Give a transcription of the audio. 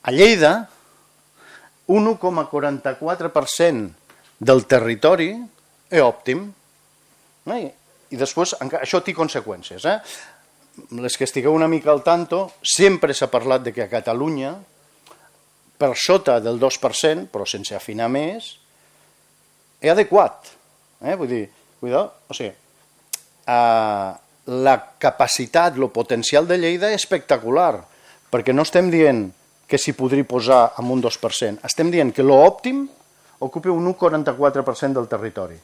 A Lleida, un 1,44% del territori és òptim. I després, això té conseqüències. Les que estigueu una mica al tanto, sempre s'ha parlat de que a Catalunya, per sota del 2%, però sense afinar més, és adequat. Vull dir, la capacitat, el potencial de Lleida és espectacular, perquè no estem dient que s'hi podria posar amb un 2%, estem dient que l'òptim ocupa un 1,44% del territori.